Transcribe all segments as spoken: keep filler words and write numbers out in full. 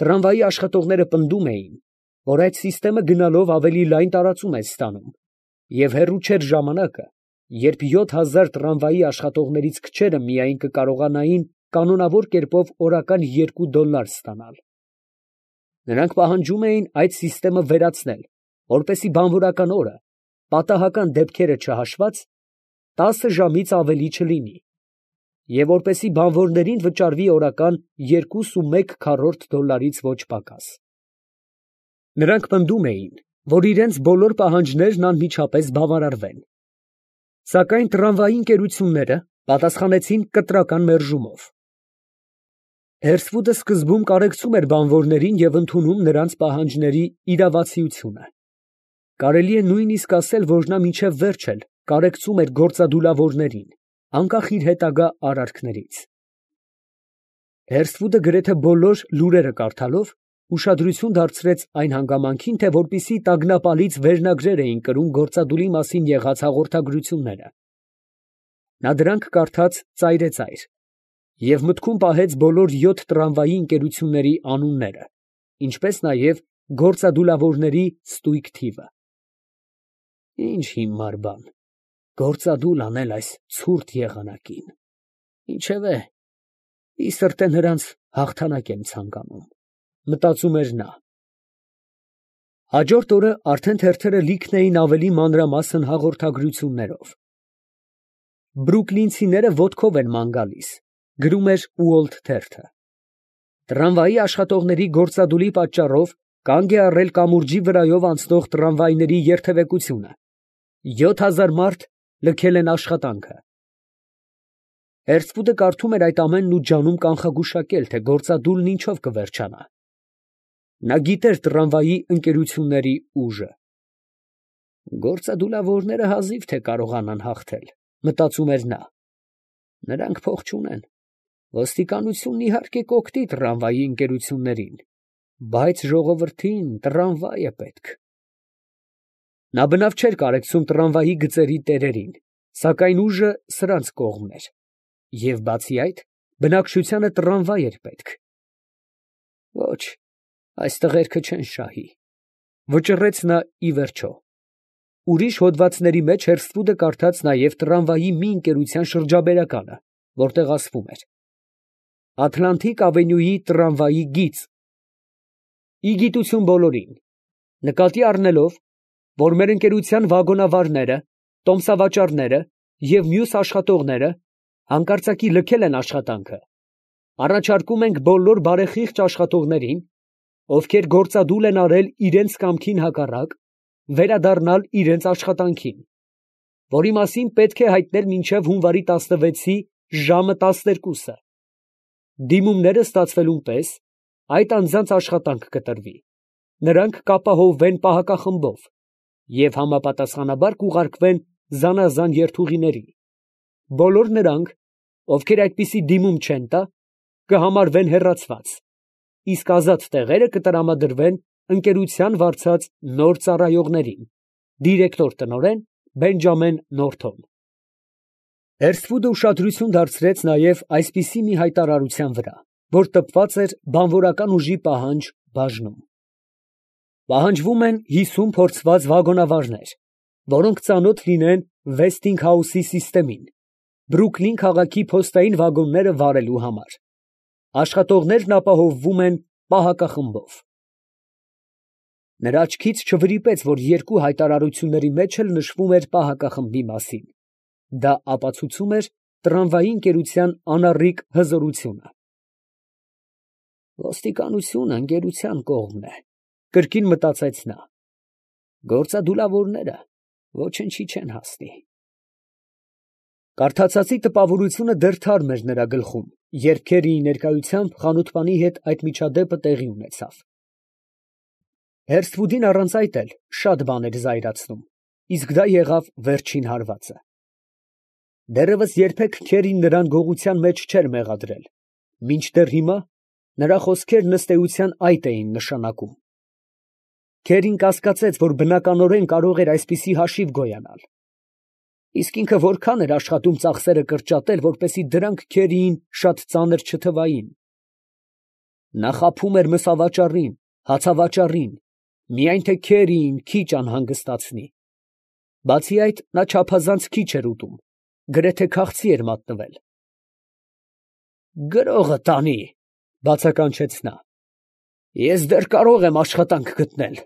Տրամվայի աշխատողները պնդում էին, որ այդ սիստեմը գնալով ավելի լայն տարածում է ստանում, և հեռու չէր ժամանակը, երբ յոթ հազար տրամվայի աշխատողներից քչերը միայն կկարողանային կանոնավոր կերպով օրական երկու դոլար ստանալ։ Նրանք պահանջում էին այդ սիստեմը վերացնել, որպեսզի բանվորական օրը, պատահական դեպքերը չհաշված, տասը ժամից ավելի չլինի, և որպեսզի բանվորներին վճարվի օրական երկուսումեկ քառորդ դոլարից ոչ պակաս։ Նրանք պնդում էին, որ իրենց բոլոր պահանջներն անմիջապես բավարարվեն, սակայն տրամվայի ընկերությունները պատասխանեցին կտրական մերժումով։ Հերսվուդը սկզբում կարեկցում էր բանվորներին և ընդունում նրանց պահանջների իրավացիությունը։ Կարելի է նույնիսկ ասել, որ նա մինչև վերջ էլ կարեկցում էր գործադուլավորներին, անկախ իր հետագա արարքներից։ Հերսվուդը գրեթե բոլոր լուրերը կարդալով, ուշադրություն դարձրեց այն հանգամանքին, թե որպիսի տագնապալից վերնագրեր էին կրում գործադուլի մասին եղած հաղորդագրությունները։ Նա դրանք կարդաց ծայրեծայր և մտքում պահեց բոլոր յոթ տրամվայի ընկերությունների անունները, ինչպես նաև գործադուլավորների ստույգ թիվը։ Ինչ հիմար բան, գործադուլ անել այս ցուրտ եղանակին, ինչևէ, ի սրտե նրանց հաղթանակ եմ ցանկանում, մտածում էր նա։ Հաջորդ օրը արդեն թերթերը լիքն էին ավելի մանրամասն հաղորդագրություններով։ Բրուկլինցիները ոտքով են ման գալիս, գրում էր Ուոլթ թերթը։ Տրամվայի աշխատողների գործադուլի պատճառով կանգ է առել կամուրջի վրայով անցնող տրամվայների երթևեկությունը, յոթ հազար մարդ լքել են աշխատանքը։ Հերսվուդը կարդում էր այդ ամենն ու ջանում կանխագուշակել, թե գործադուլն ինչով կվերջանա։ Նա գիտեր տրամվայի ընկերությունների ուժը։ Գործադուլավորները հազիվ թե կարողանան հաղթել, մտածում էր նա։ Նրանք փող չունեն, ոստիկանությունն իհարկե կօգնի տրամվայի ընկերություններին, բայց ժողովրդին տրամվայ է պետք։ Նա բնավ չէր կարեկցում տրամվայի գծերի տերերին, սակայն ուժը սրանց կողմն էր, և բացի այդ, բնակչությանը տրամվայ էր պետք։ Ոչ, այս տղերքը չեն շահի, վճռեց նա ի վերջո։ Ուրիշ հոդվածների մեջ Հերսվուդը կարդաց նաև տրամվայի մի ընկերության շրջաբերականը, որտեղ ասվում էր. Ատլանտիկ ավենյուի տրամվայի գիծ։ Ի գիտություն բոլորին, նկատի առնելով, որ մեր ընկերության վագոնավարները, տոմսավաճառները և մյուս աշխատողները հանկարծակի լքել են աշխատանքը, առաջարկում ենք բոլոր բարեխիղճ աշխատողներին, ովքեր գործադուլ են արել իրենց կամքին հակառակ, վերադառնալ իրենց աշխատանքին, որի մասին պետք է հայտնել մինչև հունվարի տասնվեցի ժամը տասներկուսը։ Դիմումները ստացվելուն պես այդ անձանց աշխատանք կտրվի, նրանք կապահովվեն պահակախմբով և համապատասխանաբար կուղարկվեն զանազան երթուղիների։ Բոլոր նրանք, ովքեր այդպիսի դիմում չեն տա, կհամարվեն հեռացված, իսկ ազատ տեղերը կտրամադրվեն ընկերության վարձած նոր ծառայողներին։ Դիրեկտոր տնօրեն Բենջամեն Նորթոն։ Հերսվուդը ուշադրություն դարձրեց նաև այսպիսի մի հայտարարության վրա, որ տպված էր բանվորական ուժի պահանջ բաժնում. Պահանջվում են հիսուն փորձված վագոնավարներ, որոնք ծանոթ լինեն Վեսթինգհաուսի սիստեմին, Բրուքլին քաղաքի փոստային վագոնները վարելու համար։ Աշխատողներն ապահովվում են պահակախմբով։ Նրա աչքից չվրիպեց, որ երկու հայտարարությունների մեջ էլ նշվում էր պահակախմբի մասին. դա ապացուցում էր տրամվայի ընկերության անառիկ հզորությունը։ Ոստիկանությունը ընկերության կողմն է, կրկին մտածեց նա։ Գործադուլավորները ոչնչի չեն հասնի։ Կարդացածի տպավորությունը դեռ թարմ էր նրա գլխում, երբ Քերիի ներկայությամբ խանութպանի հետ այդ միջադեպը տեղի ունեցավ։ Հերսվուդին առանց այդ էլ շատ բան էր զայրացնում, իսկ դա եղավ վերջին հարվածը։ Դեռևս երբեք Քերին նրան գողության մեջ չէր մեղադրել, մինչդեռ հիմա նրա խոսքերն ըստ էության այդ էին նշանակում։ Քերին կասկածեց, որ բնականորեն կարող էր այսպիսի հաշիվ գոյանալ։ Իսկ ինքը որքան էր աշխատում ծախսերը կրճատել, որպեսզի դրանք Քերիին շատ ծանր չթվային։ Նա խաբում էր մսավաճառին, հացավաճառին, միայն թե քերին քիչ անհանգստացնի. բացի այդ, նա չափազանց քիչ էր ուտում, գրեթե քաղցի էր մատնվել։ «Գրողը տանի», ֊ բացականչեց նա։ «Ես դեռ կարող եմ աշխատանք գտնել,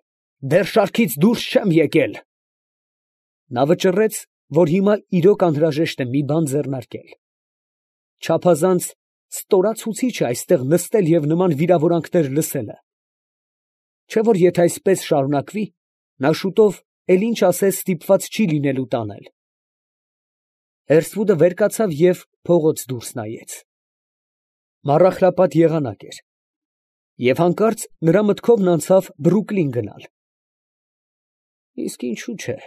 դեռ շարքից դուրս չեմ եկել»։ Նա վճռեց, որ հիմա իրոք անհրաժեշտ է մի բան ձեռնարկել։ Չափազանց ստորացուցիչ է այստեղ նստել և նման վիրավորանքներ լսելը։ Չէ՞ որ եթե այսպես շարունակվի, նա շուտով էլ ինչ ասես ստիպված չի լինելու տանել։ Հերսվուդը վեր կացավ և փողոց դուրս նայեց։ Մառախլապատ եղանակ էր, և հանկարծ նրա մտքովն անցավ Բրուկլին գնալ։ Իսկ ինչու՞ չէ,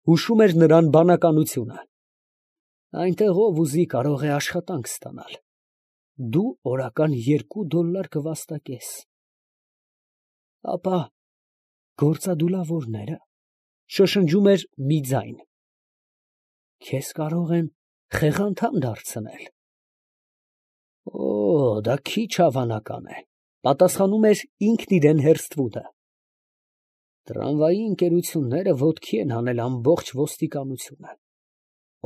հուշում էր նրան բանականությունը։ Այնտեղ ով ուզի կարող է աշխատանք ստանալ, դու օրական երկու դոլլար կվաստակես։ Ապա գործադուլավորնե՞րը, շշնջում էր մի ձայն, քեզ կարող են խեղանդամ դարձնել։ Օ, դա քիչ հավանական է, պատասխանում էր ինքն իրան Հերսթվուդը։ Տրամվայի ընկերությունները ոտքի են հանել ամբողջ ոստիկանությունը։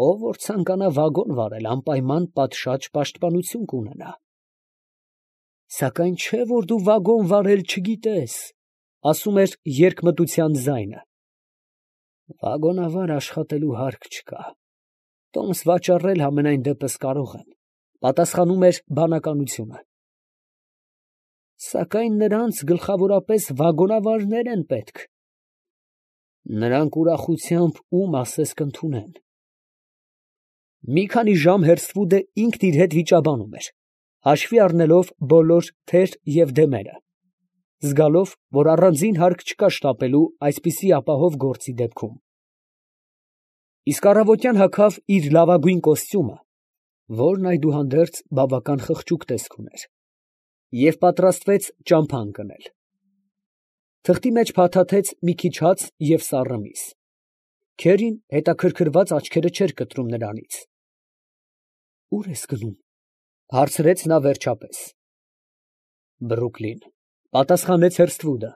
Ով որ ցանկանա վագոն վարել, անպայման պատշաճ պաշտպանություն կունենա։ Սակայն չէ որ դու վագոն վարել չգիտես, ասում էր երկմտության ձայնը։ Վագոնավար աշխատելու հարկ չկա, տոմս վաճառել համենայն դեպս կարող են, պատասխանում էր բանականությունը։ Սակայն նրանց գլխավորապես վագոնավարներ են պետք։ Նրանք ուրախությամբ ում ասես կընդունեն։ Մի քանի ժամ Հերսվուդը ինքն իր հետ վիճաբանում էր, հաշվի առնելով բոլոր թեր և դեմերը, զգալով, որ առանձին հարկ չկա շտապելու այսպիսի ապահով գործի դեպքում։ Իսկ առավոտյան հագավ իր լավագույն կոստյումը, որն այդուհանդերձ բավական խղճուկ տեսք ուներ, և պատրաստվեց ճամփա ընկնել։ Թղթի մեջ փաթաթեց մի քիչ հաց և սառը միս։ Քերին հետաքրքրված աչքերը չէր կտրում նրանից։ ֊ Ո՞ւր ես գնում, ֊ հարցրեց նա վերջապես։ ֊ Բրուկլին, ֊ պատասխանեց Հերսթվուդը,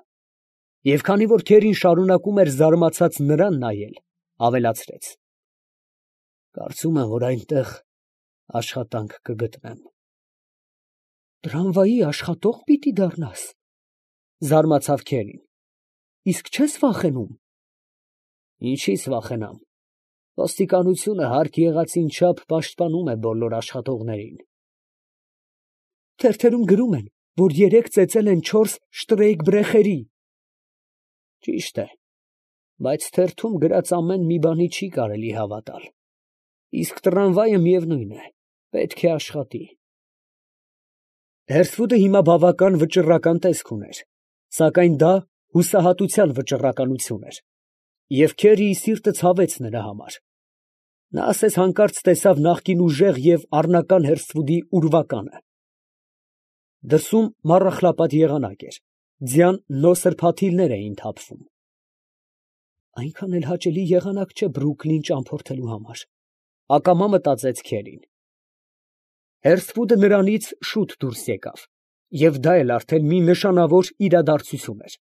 և քանի որ քերին շարունակում էր զարմացած նրան նայել, ավելացրեց. կարծում եմ, որ այնտեղ աշխատանք կգտնեմ։ ֊ Տրամվայի աշխատող պիտի դառնա՞ս, ֊ զարմացավ քերին։ ֊ Իսկ չե՞ս վախենում։ ֊ Ինչի՞ց վախենամ, ոստիկանությունը հարկ եղածին չափ պաշտպանում է բոլոր աշխատողներին։ ֊ Թերթերում գրում են, որ երեկ ծեծել են չորս շտրեյկբրեխերի։ ֊ Ճիշտ է, բայց թերթում գրած ամեն մի բանի չի կարելի հավատալ, իսկ տրամվայը, միևնույն է, պետք է աշխատի։ Հերսվուդը հիմա բավական վճռական տեսք ուներ, սակայն դա հուսահատության վճռականություն էր, և Քերիի սիրտը ցավեց նրա համար։ Նա ասես հանկարծ տեսավ նախկին ուժեղ և առնական Հերսթվուդի ուրվականը։ Դրսում մառախլապատ եղանակ էր, ձյան նոսր փաթիլներ էին թափվում։ Այնքան էլ հաճելի եղանակ չէ Բրուկլին ճամփորդելու համար, ակամա մտածեց Քերին։ Հերսթվուդը նրանից շուտ դուրս եկավ, և դա էլ արդեն մի նշանավոր իրադարձություն էր։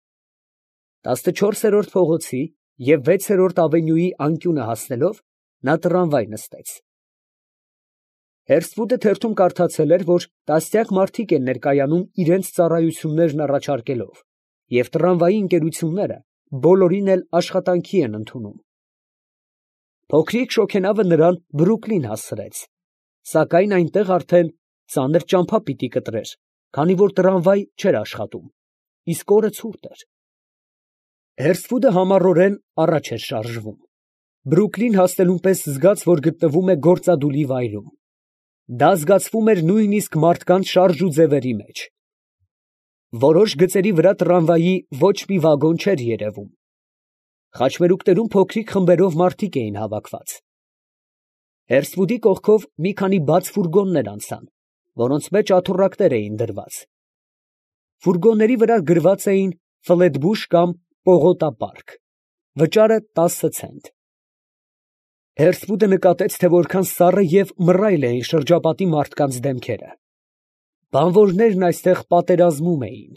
Տասնչորսերորդ փողոցի և վեցերորդ ավենյուի անկյունը հասնելով, նա տրամվայ նստեց։ Հերսթվուդը թերթում կարդացել էր, որ տասնյակ մարդիկ են ներկայանում իրանց ծառայություններն առաջարկելով, և տրամվայի ընկերությունները բոլորին էլ աշխատանքի են ընդունում։ Փոքրիկ շոգենավը նրան Բրուկլին հասցրեց, սակայն այնտեղ արդեն ծանր ճամփա պիտի կտրեր, քանի որ տրամվայ չէր աշխատում, իսկ օրը ցուրտ էր։ Հերսթվուդը համառորեն առաջ էր շարժվում, Բրուկլին հասնելուն պես զգաց, որ գտնվում է գործադուլի վայրում։ Դա զգացվում էր նույնիսկ մարդկանց շարժ ու ձևերի մեջ։ Որոշ գծերի վրա տրամվայի ոչ մի վագոն չէր երևում։ Խաչմերուկներում փոքրիկ խմբերով մարդիկ էին հավաքված։ Հերսթվուդի կողքով մի քանի բաց ֆուրգոններ անցան, որոնց մեջ աթոռակներ էին դրված։ Ֆուրգոնների վրա գրված էին Ֆլետբուշ կամ Պողոտա պարկ, վճարը տասը ցենտ։ Հերսթվուդը նկատեց, թե որքան սառը և մռայլ էին շրջապատի մարդկանց դեմքերը։ Բանվորներն այստեղ պատերազմում էին։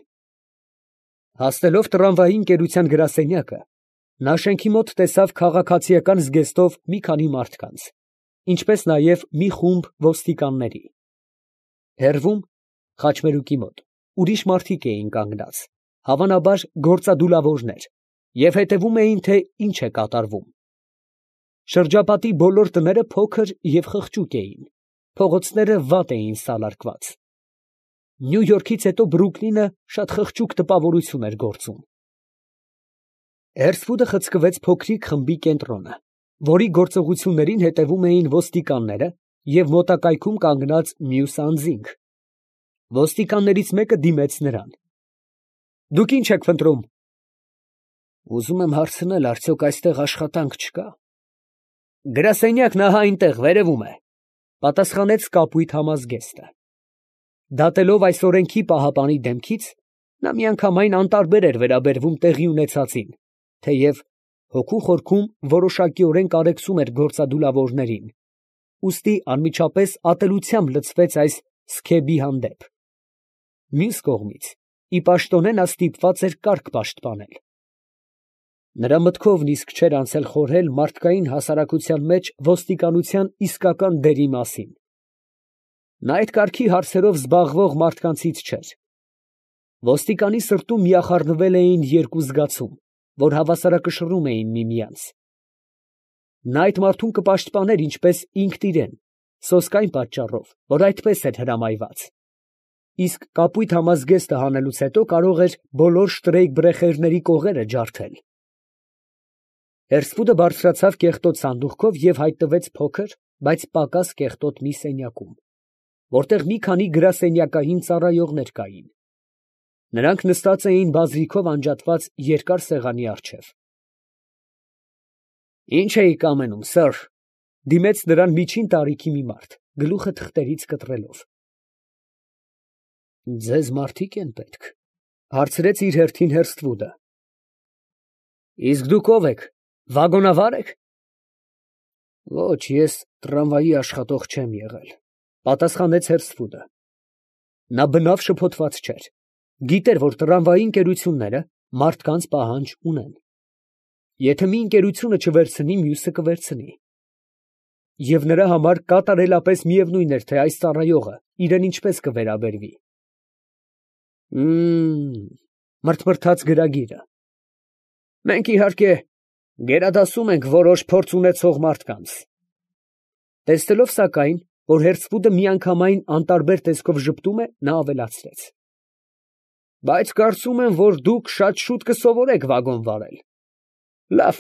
Հասնելով տրամվայի ընկերության գրասենյակը, նա շենքի մոտ տեսավ քաղաքացիական զգեստով մի քանի մարդկանց, ինչպես նաև մի խումբ ոստիկանների։ Հեռվում, խաչմերուկի մոտ, ուրիշ մարդիկ էին կանգնած, հավանաբար գործադուլավորներ, և հետևում էին, թե ինչ է կատարվում։ Շրջապատի բոլոր տները փոքր և խղճուկ էին, փողոցները վատ էին սալարկված։ Նյու Յորքից հետո Բրուքլինը շատ խղճուկ տպավորություն էր գործում։ Հերսվուդը խցկվեց փոքրիկ խմբի կենտրոնը, որի գործողություններին հետևում էին ոստիկանները և մոտակայքում կանգնած մյուս անձինք։ Ոստիկաններից մեկը դիմեց նրան։ ֊ Դուք ի՞նչ եք փնտրում։ ֊ Ուզում եմ հարցնել, արդյոք այստեղ աշխատանք չկա։ ֊ Գրասենյակն ահա այնտեղ, վերևում է, ֊ պատասխանեց կապույտ համազգեստը։ Դատելով այս օրենքի պահապանի դեմքից, նա միանգամայն անտարբեր էր վերաբերվում տեղի ունեցածին, թեև հոգու խորքում որոշակիորեն կարեկցում էր գործադուլավորներին, ուստի անմիջապես ատելությամբ լցվեց այս սքեբի հանդեպ։ Մյուս կողմից, ի պաշտոնե նա ստիպված էր կարգ պաշտպանել։ Նրա մտքովն իսկ չէր անցել խորհել մարդկային հասարակության մեջ ոստիկանության իսկական դերի մասին։ Նա այդ կարգի հարցերով զբաղվող մարդկանցից չէր։ Ոստիկանի սրտում միախառնվել էին երկու զգացում, որ հավասարակշռում էին միմյանց։ Նա այդ մարդուն կպաշտպաներ ինչպես ինքն իրեն, սոսկ այն պատճառով, որ այդպես էր հրամայված, իսկ կապույտ համազգեստը հանելուց հետո կարող էր բոլոր շտրեյկբրեխերների կողերը ջարդել։ Հերսվուդը բարձրացավ կեղտոտ սանդուղքով և հայտնվեց փոքր, բայց պակաս կեղտոտ մի սենյակում, որտեղ մի քանի գրասենյակային ծառայողներ կային։ Նրանք նստած էին բազրիքով անջատված երկար սեղանի առջև։ ֊ Ի՞նչ էիք ամենում, սըր, ֊ դիմեց նրան միջին տարիքի մի մարդ, գլուխը թղթերից կտրելով։ ֊ Ձեզ մարդիկ են պետք, ֊ հարցրեց իր հերթին Հերսթվուդը։ ֊ Իսկ դուք ո՞վ եք, վագոնավա՞ր եք։ ֊ Ոչ, ես տրամվայի աշխատող չեմ եղել, ֊ պատասխանեց Հերսթվուդը։ Նա բնավ շփոթված չէր, գիտեր, որ տրամվայի ընկերությունները մարդկանց պահանջ ունեն։ Եթե մի ընկերությունը չվերցնի, մյուսը կվերցնի։ Եվ նրա համար կատարելապես միևնույն էր, թե այս ծառայողը իրան ինչպես կվերաբերվի։ Մմ, մրթմրթաց գրագիրը։ Մենք, իհարկե, գերադասում ենք որոշ փորձ ունեցող մարդկանց։ Տեսնելով, սակայն, որ Հերսվուդը միանգամայն անտարբեր տեսքով ժպտում է, նա ավելացրեց. Բայց կարծում եմ, որ դուք շատ շուտ կսովորեք վագոն վարել։ Լավ,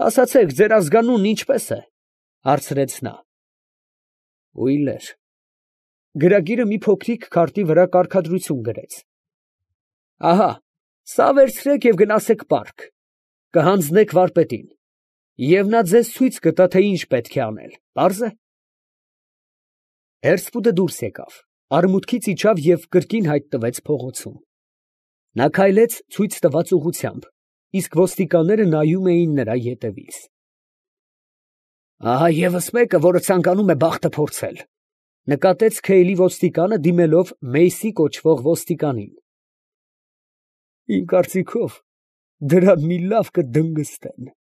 ասացեք, ձեր ազգանունն ինչպե՞ս է, ֊ հարցրեց նա։ Ուիլեր։ Գրագիրը մի փոքրիկ քարտի վրա կարգադրություն գրեց. Ահա, սա վերցրեք և գնացեք պարկ, կհանձնեք վարպետին, և նա ձեզ ցույց կտա, թե ինչ պետք է անել, պարզ է։ Հերսվուդը դուրս եկավ, արմունկից իջավ և կրկին հայտնվեց փողոցում։ Նա քայլեց ցույց տված ուղղությամբ, իսկ ոստիկանները նայում էին նրա ետևից։ Ահա ևս մեկը, որը ցանկանում է բախտը փորձել, ֊ նկատեց Քեյլի ոստիկանը, դիմելով Մեյսի կոչվող ոստիկանին։ Իմ կարծիքով, դրան մի լավ կդնգստեն, ֊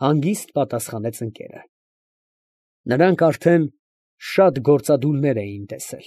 հանգիստ պատասխանեց ընկերը։ Նրանք արդեն շատ գործադուլներ էին տեսել։